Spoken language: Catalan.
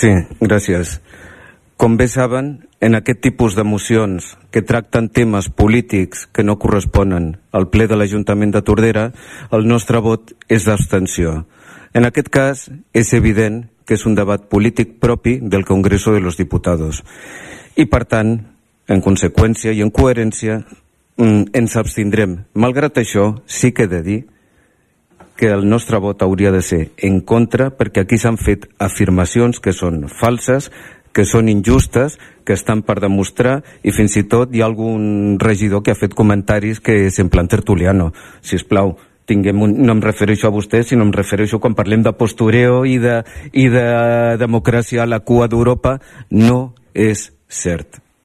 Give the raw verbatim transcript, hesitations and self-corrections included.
Sí, gràcies. Com bé saben, en aquest tipus de mocions que tracten temes polítics que no corresponen al ple de l'Ajuntament de Tordera, el nostre vot és d'abstenció. En aquest cas, és evident que és un debat polític propi del Congreso de los Diputados. I, per tant, en conseqüència i en coherència, ens abstindrem. Malgrat això, sí que he de dir que el nostre vot hauria de ser en contra, perquè aquí s'han fet afirmacions que són falses, que són injustes, que estan per demostrar, i fins i tot hi ha algun regidor que ha fet comentaris que és en plan tertuliano. Sisplau, tinguem un, no em refereixo a vostè, sinó em refereixo quan parlem de postureo i de, i de democràcia a la cua d'Europa, no és cert.